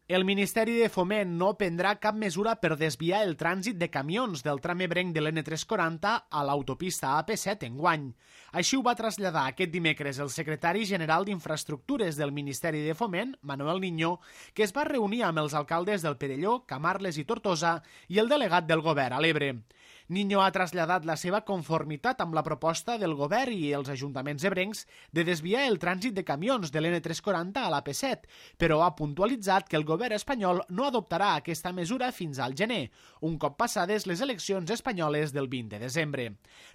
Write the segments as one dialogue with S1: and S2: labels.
S1: El Ministeri de Foment no prendrà cap mesura per desviar el trànsit de camions del tram ebrenc de l'N340 a l'autopista AP7 enguany. Així ho va traslladar aquest dimecres el secretari general d'Infraestructures del Ministeri de Foment, Manuel Niño, que es va reunir amb els alcaldes del Perelló, Camarles i Tortosa i el delegat del govern a l'Ebre. Niño ha traslladat la seva conformitat amb la proposta del govern i els ajuntaments ebrencs de desviar el trànsit de camions de l'N340 a l'AP7, però ha puntualitzat que el govern espanyol no adoptarà aquesta mesura fins al gener, un cop passades les eleccions espanyoles del 20 de desembre.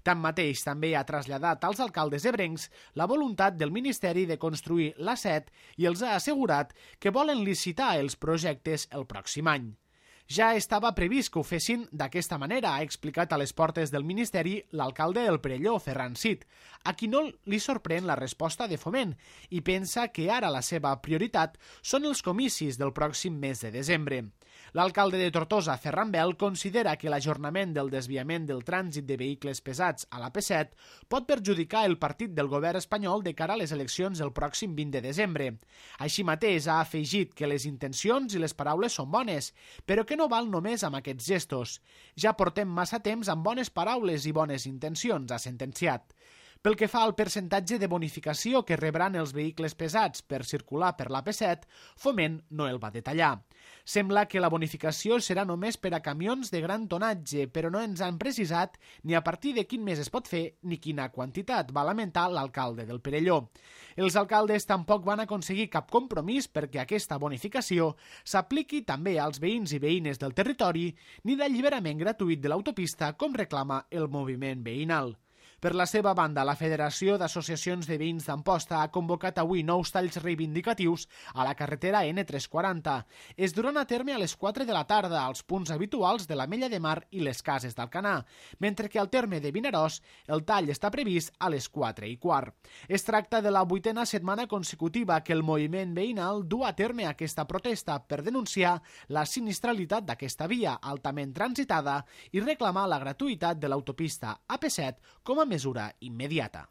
S1: Tanmateix, també ha traslladat als alcaldes ebrencs la voluntat del Ministeri de construir l'A7 i els ha assegurat que volen licitar els projectes el pròxim any. Ja estava previst que ho fessin d'aquesta manera, ha explicat a les portes del Ministeri l'alcalde del Perelló, Ferran Cid, a qui no li sorprèn la resposta de Foment i pensa que ara la seva prioritat són els comicis del pròxim mes de desembre. L'alcalde de Tortosa, Ferran Bel, considera que l'ajornament del desviament del trànsit de vehicles pesats a l'AP7 pot perjudicar el partit del govern espanyol de cara a les eleccions del pròxim 20 de desembre. Així mateix ha afegit que les intencions i les paraules són bones, però que no val només amb aquests gestos. Ja portem massa temps amb bones paraules i bones intencions, ha sentenciat. Pel que fa al percentatge de bonificació que rebran els vehicles pesats per circular per l'AP7, Foment no el va detallar. Sembla que la bonificació serà només per a camions de gran tonatge, però no ens han precisat ni a partir de quin mes es pot fer ni quina quantitat, va lamentar l'alcalde del Perelló. Els alcaldes tampoc van aconseguir cap compromís perquè aquesta bonificació s'apliqui també als veïns i veïnes del territori ni d'alliberament gratuït de l'autopista com reclama el moviment veïnal. Per la seva banda, la Federació d'Associacions de Veïns d'Amposta ha convocat avui nous talls reivindicatius a la carretera N340. Es duran a terme a les 4 de la tarda als punts habituals de l'Ametlla de Mar i les Cases d'Alcanar, mentre que al terme de Vinaròs el tall està previst a les 4:15. Es tracta de la 8a setmana consecutiva que el moviment veïnal du a terme aquesta protesta per denunciar la sinistralitat d'aquesta via altament transitada i reclamar la gratuïtat de l'autopista AP7 com a mesura immediata.